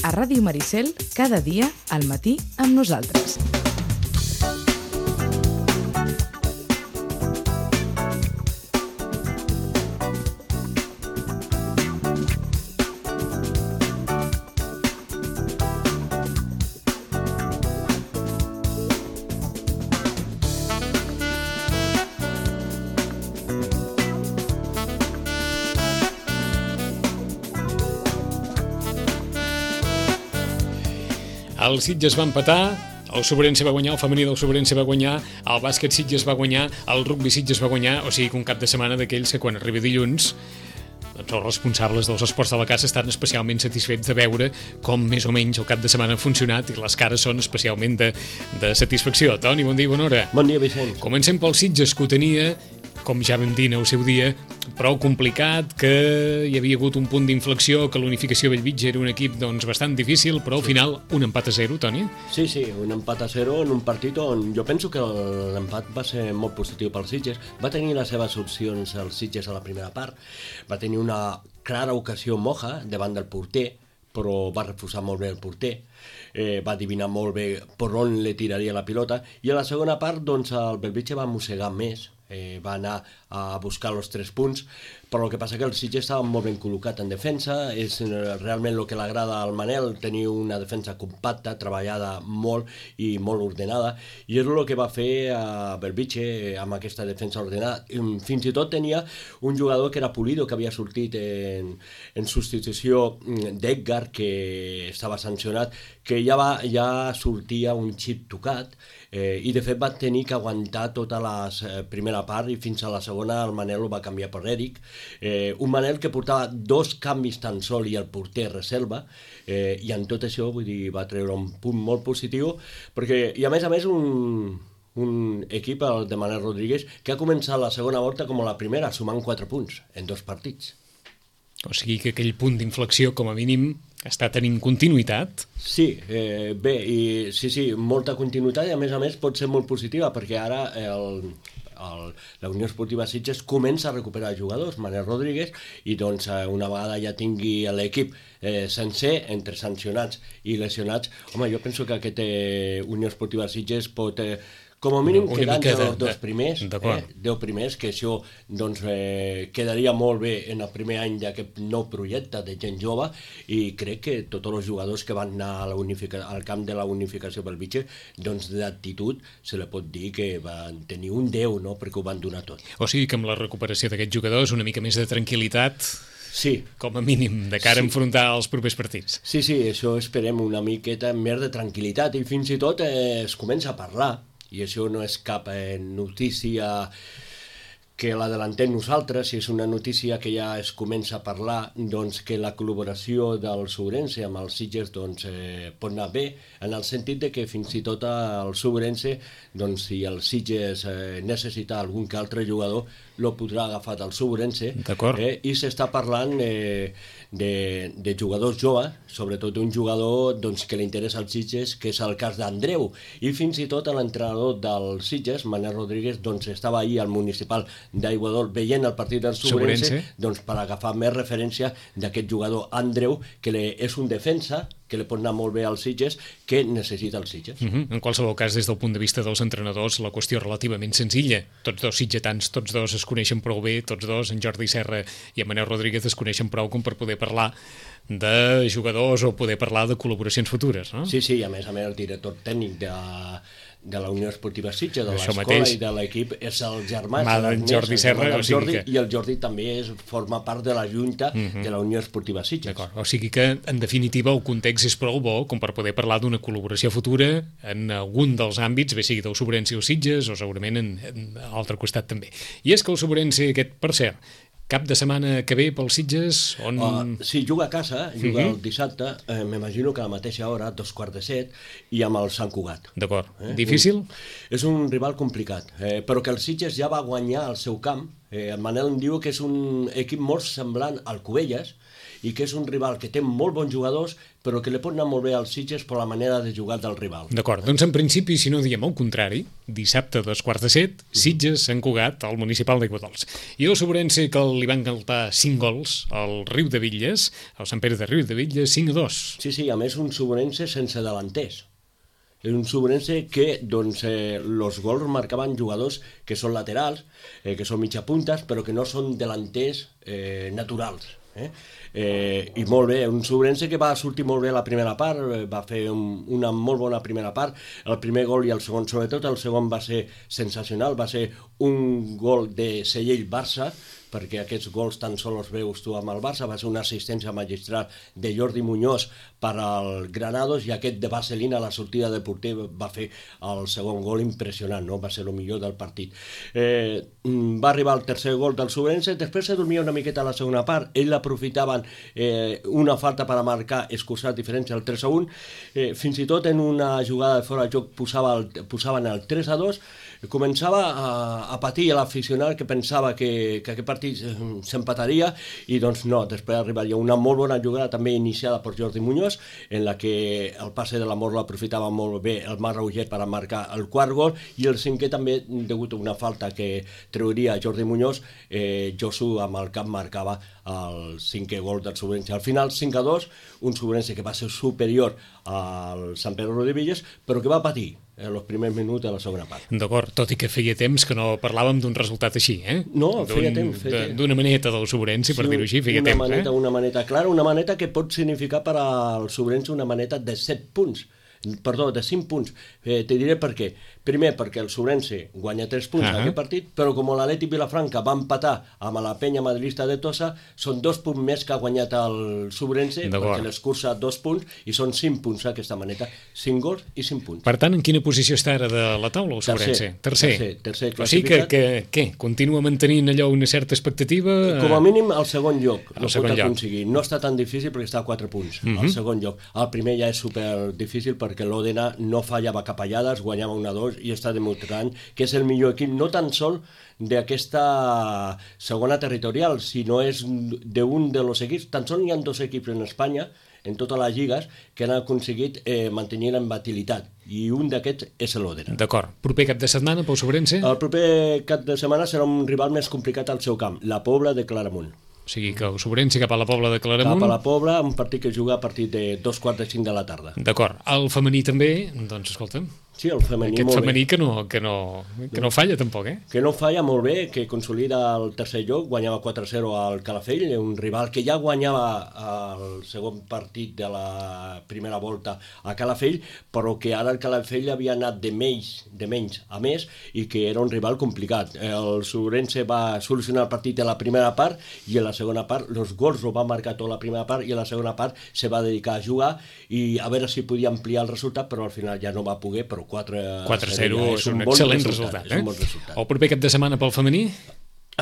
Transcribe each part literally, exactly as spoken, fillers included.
A Ràdio Maricel, cada dia, al matí, amb nosaltres. El Sitges va empatar, el Sobrense va guanyar, el femení del Sobrense va guanyar, el bàsquet Sitges va guanyar, el rugbi Sitges va guanyar, o sigui que un cap de setmana d'aquells que quan arriba dilluns doncs els responsables dels esports de la casa estan especialment satisfets de veure com més o menys el cap de setmana ha funcionat i les cares són especialment de, de satisfacció. Toni, bon dia i bona hora. Bon dia, Vicenç. Comencem pel Sitges, que ho tenia, com ja vam dir en el seu dia, prou complicat, que hi havia hagut un punt d'inflexió, que l'unificació Bellvitge era un equip doncs, bastant difícil, però al final un empat a zero, Toni? Sí, sí, un empat a zero en un partit on jo penso que l'empat va ser molt positiu pel Sitges. Va tenir les seves opcions el Sitges a la primera part, va tenir una clara ocasió Moja davant del porter, però va refusar molt bé el porter, eh, va adivinar molt bé per on li tiraria la pilota, i a la segona part doncs, el Bellvitge va mossegar més, Eh, va anar a buscar els tres punts, però el que passa que el Sitges estava molt ben col·locat en defensa, és realment el que l'agrada al Manel, tenir una defensa compacta, treballada molt i molt ordenada, i és el que va fer a Bellvitge amb aquesta defensa ordenada. Fins i tot tenia un jugador que era Pulido, que havia sortit en, en substitució d'Edgar, que estava sancionat, que ja, va, ja sortia un xip tocat, eh, i de fet va tenir que aguantar tota la eh, primera part i fins a la segona el Manel ho va canviar per Eric, eh, un Manel que portava dos canvis tan sol i el porter reserva, eh, i en tot això vull dir, va treure un punt molt positiu, perquè, i a més a més un, un equip, el de Manel Rodríguez, que ha començat la segona volta com la primera, sumant quatre punts en dos partits. O sigui que aquell punt d'inflexió, com a mínim, està tenint continuïtat? Sí, eh, bé, i sí, sí, molta continuïtat i a més a més pot ser molt positiva perquè ara el, el, la Unió Esportiva Sitges comença a recuperar jugadors, Manel Rodríguez, i doncs una vegada ja tingui l'equip eh, sencer, entre sancionats i lesionats, home, jo penso que aquest eh, Unió Esportiva Sitges pot... Eh, com a mínim quedant els dos primers, eh, deu primers, que això doncs, eh, quedaria molt bé en el primer any d'aquest nou projecte de gent jove, i crec que tots els jugadors que van anar a la unifica, al camp de la unificació pel Bellvitge, doncs d'actitud se li pot dir que van tenir un deu, no?, perquè ho van donar tot. O sigui que amb la recuperació d'aquests jugadors una mica més de tranquil·litat... Sí. Com a mínim, de cara sí. a enfrontar els propers partits. Sí, sí, això esperem una miqueta més de tranquil·litat, i fins i tot eh, es comença a parlar, i això no és cap eh, notícia que l'adelantem nosaltres, si és una notícia que ja es comença a parlar, doncs que la col·laboració del Sobrense amb els Sitges doncs, eh, pot anar bé, en el sentit de que fins i tot el Sobrense, doncs, si el Sitges eh, necessita algun que altre jugador, lo podrà agafar del Sobrense, eh, i s'està parlant eh, de, de jugadors joves, sobretot un jugador doncs, que li interessa als Sitges, que és el cas d'Andreu, i fins i tot l'entrenador del Sitges, Manel Rodríguez, doncs, estava ahir al municipal d'Aiguadol veient el partit del Sobrense, doncs, per agafar més referència d'aquest jugador Andreu, que le, és un defensa que li pot anar molt bé als Sitges, que necessita els Sitges. Uh-huh. En qualsevol cas, des del punt de vista dels entrenadors, la qüestió és relativament senzilla. Tots dos sitgetans, tots dos es coneixen prou bé, tots dos, en Jordi Serra i en Manel Rodríguez, es coneixen prou com per poder parlar de jugadors o poder parlar de col·laboracions futures, no? Sí, sí, i a més a més el director tècnic de... de la Unió Esportiva Sitges, de l'escola i de l'equip, és el germà d'en Jordi Serra, o sigui que... i el Jordi també és, forma part de la junta uh-huh. de la Unió Esportiva Sitges. D'acord, o sigui que en definitiva el context és prou bo com per poder parlar d'una col·laboració futura en algun dels àmbits, bé sigui del Sobrense o Sitges o segurament en, en l'altre costat també. I és que el Sobrense aquest, per cert, cap de setmana que ve pels Sitges? On... Uh, sí, juga a casa, juga uh-huh. el dissabte, eh, m'imagino que a la mateixa hora, dos quarts de set, i amb el Sant Cugat. D'acord. Eh? Difícil? Un, és un rival complicat, eh, però que el Sitges ja va guanyar al seu camp, Eh, el Manel em diu que és un equip molt semblant al Cubelles, i que és un rival que té molt bons jugadors, però que li pot anar molt bé als Sitges per la manera de jugar del rival. D'acord, doncs en principi, si no diem el contrari, dissabte a dos quarts de set, Sitges, Sant Cugat, al municipal d'Aiguadols. I el Sobrense, que li van cantar cinc gols al Riu de Villes, al Sant Pere de Riu de Villes, cinc a dos. Sí, sí, a més un Sobrense sense delanters. És un Sobrense que, doncs, eh, los gols marcaven jugadors que són laterals, eh, que són mitjapuntes, però que no són delanters eh, naturals. Eh? Eh, i molt bé, un Sobrense que va sortir molt bé a la primera part, eh, va fer un, una molt bona primera part, el primer gol i el segon, sobretot el segon va ser sensacional, va ser un gol de Sellell-Barça, perquè aquests gols tan sols els veus tu amb el Barça, va ser una assistència magistral de Jordi Muñoz per al Granados, i aquest de Vaselina a la sortida de porter va fer el segon gol impressionant, no? Va ser el millor del partit. Eh, va arribar el tercer gol del Sobrense, després se dormia una miqueta a la segona part, ell aprofitaven eh, una falta per a marcar, escurçar diferència al tres a un, eh, fins i tot en una jugada de fora de joc posava el, posaven el tres a dos, començava a, a patir l'aficionat que pensava que, que aquest partit s'empataria, i doncs no, després arribaria una molt bona jugada també iniciada per Jordi Muñoz, en la que el passe de l'amor l'aprofitava molt bé el Marc Rauget per a marcar el quart gol, i el cinquè també, degut a una falta que treuria Jordi Muñoz, eh, Josu amb el cap marcava el cinquè gol del Sobrense. Al final cinc a dos, un Sobrense que va ser superior al Sant Pere de Villes, però que va patir en els primers minuts de la segona part. D'acord, tot i que feia temps que no parlàvem d'un resultat així, eh? No, feia temps. Feia... D'una maneta del Sobrense, per sí, dir-ho així, feia una temps, maneta, eh? Una maneta clara, una maneta que pot significar per al Sobrense una maneta de set punts, perdó, de cinc punts. Eh, te diré per què. Primer, perquè el Sobrense guanya tres punts uh -huh. en aquest partit, però com l'Atlètic Vilafranca va empatar amb la penya madridista de Tossa, són dos punts més que ha guanyat el Sobrense, perquè l'escurça dos punts, i són cinc punts aquesta maneta, cinc gols i cinc punts. Per tant, en quina posició està ara de la taula el Sobrense? Tercer. Tercer, tercer classificat. O sigui que, que, què? Continua mantenint allò una certa expectativa? Com a mínim al segon lloc, el no segon pot lloc. aconseguir. No està tan difícil perquè està a quatre punts, uh -huh. al segon lloc. El primer ja és super difícil perquè l'Òdena no fallava capellades, guanyava un a dos i està demostrant que és el millor equip, no tan sol d'aquesta segona territorial, sinó és d'un dels equips. Tan sols hi ha dos equips en Espanya, en totes les lligues, que han aconseguit eh, mantenir la imbatibilitat, i un d'aquests és l'Òdena. D'acord. Proper cap de setmana pel Sobrense? El proper cap de setmana serà un rival més complicat al seu camp, la Pobla de Claramunt. O sigui que el Sobrense cap a la Pobla de Claramunt... Cap a la Pobla, un partit que juga a partir de dos quarts de cinc de la tarda. D'acord. El femení també, doncs escolta'm... Sí, el femení Aquest molt femení bé. que no, que, no, que no falla tampoc, eh? Que no falla molt bé, que consolida el tercer lloc, guanyava quatre a zero al Calafell, un rival que ja guanyava el segon partit de la primera volta a Calafell, però que ara el Calafell havia anat de menys, de menys a més, i que era un rival complicat. El Sobrense va solucionar el partit a la primera part, i en la segona part, els gols ho va marcar tota la primera part, i en la segona part se va dedicar a jugar i a veure si podia ampliar el resultat, però al final ja no va poder, però quatre a zero és un excel·lent resultat, eh? El proper cap de setmana pel femení?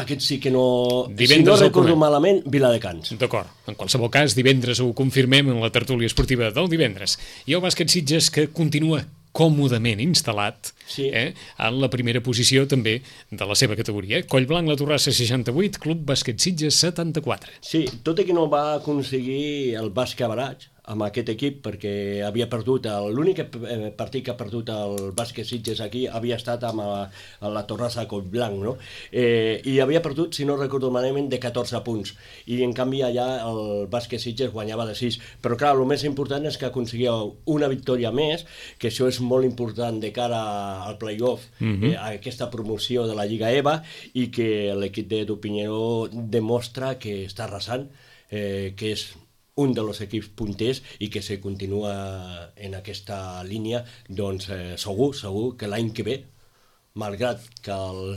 Aquest sí que no... Divendres si no recordo malament, Viladecans. D'acord. En qualsevol cas, divendres ho confirmem en la tertúlia esportiva del divendres. I el bàsquet Sitges, que continua còmodament instal·lat sí. eh, en la primera posició també de la seva categoria. Collblanc, la Torrassa, seixanta-vuit, Club Bàsquet Sitges, setanta-quatre. Sí, tot i que no va aconseguir el bàsquet baratge amb aquest equip, perquè havia perdut, l'únic partit que ha perdut el bàsquet Sitges aquí havia estat amb la, la Torrassa Collblanc, no? Eh, i havia perdut, si no recordo malament, de catorze punts, i en canvi allà el bàsquet Sitges guanyava de sis, però clar, el més important és que aconseguia una victòria més, que això és molt important de cara al play-off, mm-hmm. eh, a aquesta promoció de la Lliga E V A, i que l'equip d'Edu Piñero demostra que està arrasant, eh, que és un dels equips punters i que se continua en aquesta línia, doncs eh, segur, segur que l'any que ve, malgrat que el,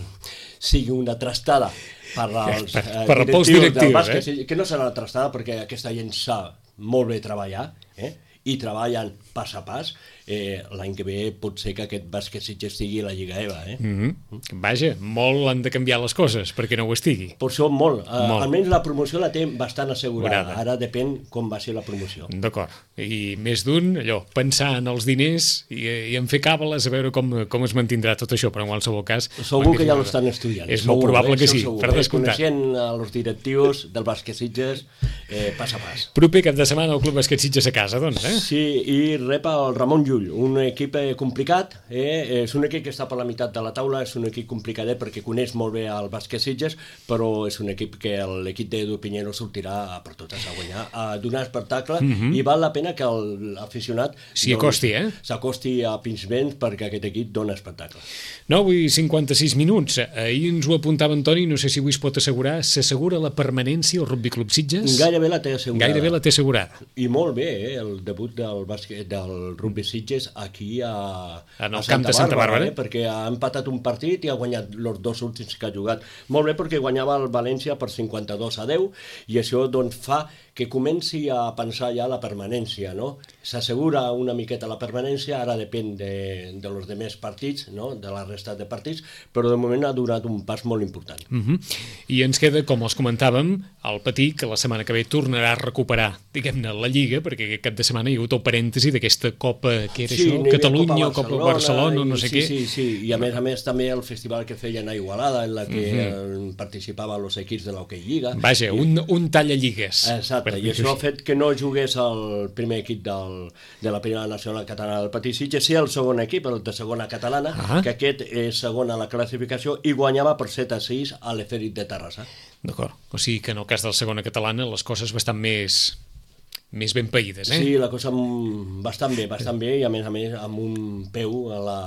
sigui una trastada per als per, eh, per directius, directius del bàsquet, eh? que no serà una trastada perquè aquesta gent sap molt bé treballar, eh? i treballen pas a pas, eh, l'any que ve pot ser que aquest bàsquet Sitges estigui a la Lliga E V A. Eh? Mm-hmm. Vaja, molt han de canviar les coses perquè no ho estigui. Per això molt. Uh, molt. Almenys la promoció la té bastant assegurada. Grada. Ara depèn com va ser la promoció. D'acord. I més d'un, allò, pensar en els diners i, i en fer càbales a veure com, com es mantindrà tot això, però en qualsevol cas... Segur que ja ho estan estudiant. És segur, molt probable eh? que sí, segur, per eh? descomptat. Coneixent els directius del bàsquet Sitges, eh, pas a pas. Proper cap de setmana el Club Bàsquet Sitges a casa, doncs, eh? Sí, i rep el Ramon Llull, un equip eh, complicat, eh? és un equip que està per la meitat de la taula, és un equip complicadet perquè coneix molt bé el bàsquet Sitges, però és un equip que l'equip d'Edu Piñero sortirà per totes a guanyar, a donar espectacle, mm-hmm. i val la pena que l'aficionat s'hi acosti, eh? s'acosti a Pinsbens perquè aquest equip dona espectacle. nou i cinquanta-sis minuts. Ahir ens ho apuntava Antoni, no sé si avui es pot assegurar, s'assegura la permanència al Rugby Club Sitges? Gairebé la té assegurada. Gairebé la té assegurada. I molt bé, eh? El debut del, bàsquet, del Rugby Sitges aquí a, en el a camp de Santa Bàrbara, eh? Perquè ha empatat un partit i ha guanyat els dos últims que ha jugat. Molt bé, perquè guanyava el València per cinquanta-dos a deu i això doncs fa que comenci a pensar ja la permanència, no? S'assegura una miqueta la permanència, ara depèn de, de los demés partits, no? De la resta de partits, però de moment ha donat un pas molt important. Uh-huh. I ens queda, com els comentàvem, el Patí, que la setmana que ve tornarà a recuperar, diguem-ne, la Lliga, perquè aquest cap de setmana hi ha hagut el parèntesi d'aquesta Copa, que era sí, això? Catalunya, Copa Copa Barcelona, i, no sé sí, què. Sí, sí, i a més a més també el festival que feien a Igualada, en la que uh-huh. participaven els equips de l'Hockey Lliga. Vaja, i... un, un talla lligues. Exacte, i això ha fet que no jugués el primer equip del, de la Primera Nacional Catalana del Patí Sitges, sí el segon equip, el de segona catalana, ah. que aquest és segon a la classificació i guanyava per set a sis a l'Efèrit de Terrassa. D'acord, o sigui que en el cas del segona catalana les coses bastant més... més ben païdes, eh? Sí, la cosa bastant bé, bastant bé, i a més a més amb un peu a la...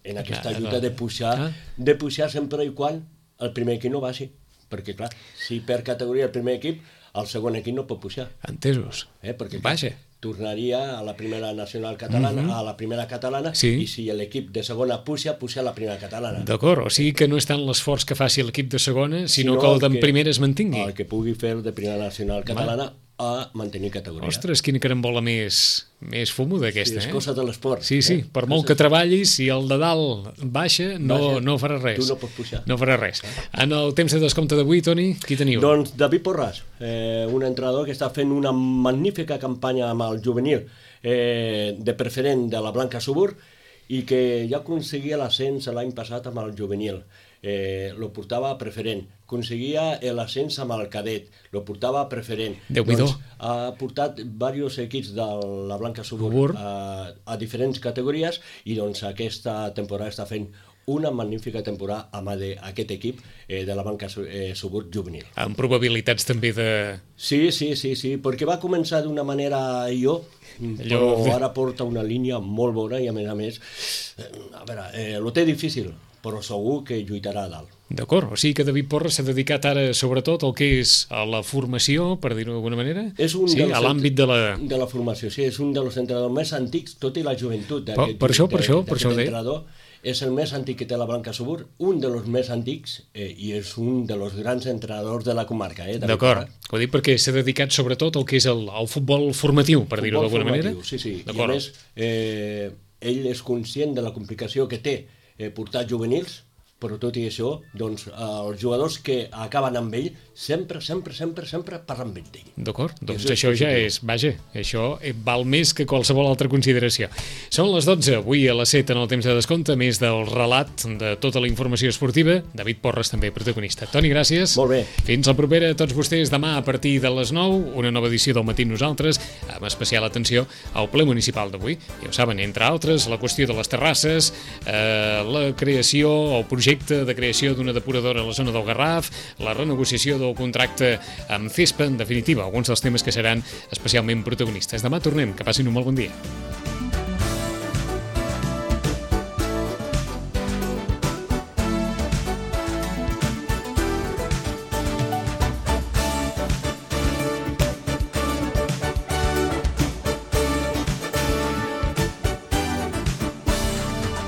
en aquesta lluita de pujar, ah. de pujar sempre i quan el primer equip no baixi, perquè clar, si per categoria el primer equip, el segon equip no pot pujar. Entesos. Eh, perquè Vaja. tornaria a la primera nacional catalana, uh-huh. a la primera catalana, sí. i si l'equip de segona puja, puja a la primera catalana. D'acord, o sigui que no és tant l'esforç que faci l'equip de segona, sinó, sinó que el d'en primera es mantingui. El que pugui fer de primera nacional catalana, Va. a mantenir categoria. Ostres, quina carambola més, més fumo d'aquesta, sí, és eh? És cosa de l'esport. Sí, sí, eh? per molt que treballis, si el de dalt baixa, no, baixa, no farà res. Tu no pots pujar. No farà res. En el temps de descompte d'avui, Toni, qui teniu? Doncs David Porras, eh, un entrenador que està fent una magnífica campanya amb el juvenil eh, de preferent de la Blanca Subur i que ja aconseguia l'ascens l'any passat amb el juvenil. Eh, lo portava a preferent, aconseguia l'ascens amb el cadet, lo portava a preferent. Déu-n'hi-do. Doncs, ha portat diversos equips de la Blanca Subur a, a diferents categories i doncs aquesta temporada està fent una magnífica temporada amb aquest equip eh, de la Blanca eh, Subur juvenil. Amb probabilitats també de... Sí, sí, sí, sí, perquè va començar d'una manera jo, però ara porta una línia molt bona i a més a més, eh, a veure, eh, lo té difícil, però segur que lluitarà a dalt. D'acord, o sigui que David Porras s'ha dedicat ara sobretot al que és a la formació, per dir-ho d'alguna manera? És un sí, dels, a l'àmbit de la... de la formació, sí, és un dels entrenadors més antics, tot i la joventut Per, per això, per això, per això ho deia. És el més antic que té la Blanca Subur, un dels més antics eh, i és un dels grans entrenadors de la comarca. Eh, D'acord, ho dic perquè s'ha dedicat sobretot al que és el, el futbol formatiu, per dir-ho d'alguna manera. Sí, sí, i a més eh, ell és conscient de la complicació que té eh, portar juvenils, però tot i això, doncs, els jugadors que acaben amb ell sempre, sempre, sempre, sempre parlen bé d'ell. D'acord, doncs això ja és, vaja, això val més que qualsevol altra consideració. Són les dotze, avui a les set en el temps de descompte, més del relat de tota la informació esportiva, David Porras també protagonista. Toni, gràcies. Molt bé. Fins la propera a tots vostès demà a partir de les nou, una nova edició del Matí Nosaltres, amb especial atenció al ple municipal d'avui. Ja ho saben, entre altres, la qüestió de les terrasses, eh, la creació o projecte de creació d'una depuradora a la zona del Garraf, la renegociació del contracte amb Cespa, en definitiva, alguns dels temes que seran especialment protagonistes. Demà tornem, que passin un molt bon dia.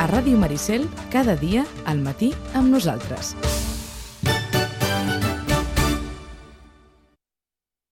A Ràdio Maricel, cada dia al matí amb nosaltres.